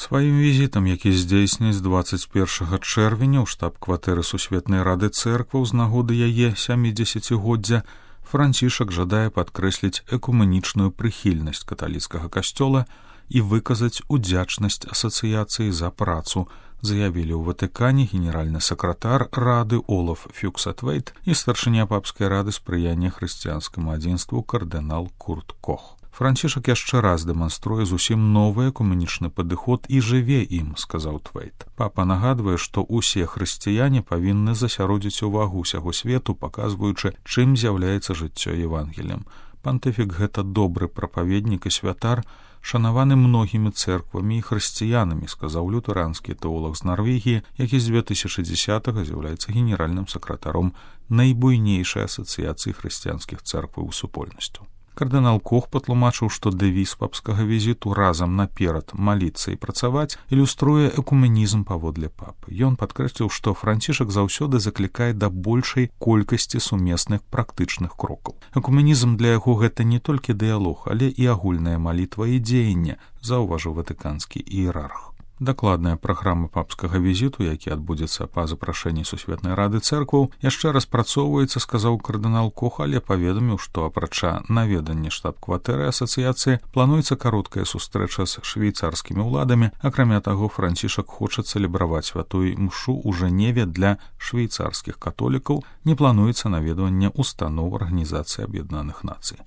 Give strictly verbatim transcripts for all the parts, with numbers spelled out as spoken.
Сваім візітам, які здзейсніць дваццаць першага чэрвеня ў штаб-кватэры Сусветнай рады цэркваў з нагоды яе сямідзесяцігоддзя, Францішак жадае падкрэсліць экуменічную прыхільнасць каталіцкага касцёла і выказаць удзячнасць асацыяцыі за працу, заявілі ў Ватыкане генеральны сакратар рады Олаф Фюксатвейт і старшыня папскай рады спрыяння хрысціянскаму адзінству кардынал Курт Кох. Францішак яшчэ раз дэманструе зусім новы экуменічны падыход і жыве ім, сказаў Твейт. Папа нагадвае, што ўсе хрысціяне павінны засяродзіць увагу ўсяго свету, паказваючы, чым з'яўляецца жыццё Евангеліем. Пантыфік гэта добры прапаведнік і святар, шанаваны многімі цэрквамі і хрысціянамі, сказаў лютэранскі тэолог з Нарвегіі, які з дзве тысячы дзесятага з'яўляецца генеральным сакратаром найбуйнейшай асацыяцыі хрысціянскіх цэркваў і супольнасцяў. Кардынал Кох патлумачыў, што дэвіз папскага візіту «Разам наперад маліцца і працаваць» ілюструе экуменізм паводле папы. Ён падкрэсліў, што Францішак заўсёды заклікае да большай колькасці сумесных практычных крокаў. Экуменізм для яго гэта не толькі дыялог, але і агульная малітва і дзеянне, заўважыў ватыканскі іерарх. Дакладная праграма папскага візіту, які адбудзецца па запрашэнні Сусветнай рады цэркваў, яшчэ распрацоўваецца, сказаў кардынал Кох, але паведаміў, што апрача наведання штаб-кватэры асацыяцыі плануецца кароткая сустрэча з швейцарскімі ўладамі. Акрамя таго, Францішак хоча цэлебраваць святую імшу ў Жэневе для швейцарскіх католікаў, не плануецца наведванне устаноў Арганізацыі Аб'яднаных Нацый.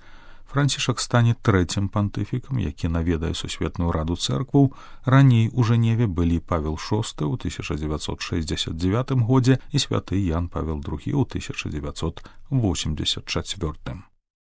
Францішак стане трэцім пантыфікам, які наведае Сусветную раду цэркваў. Раней у Жэневе былі Павел шосты ў тысяча дзевяцьсот шэсцьдзесят дзевятым годзе і святы Ян Павел другі ў тысяча дзевяцьсот восемьдесят чацвёртым.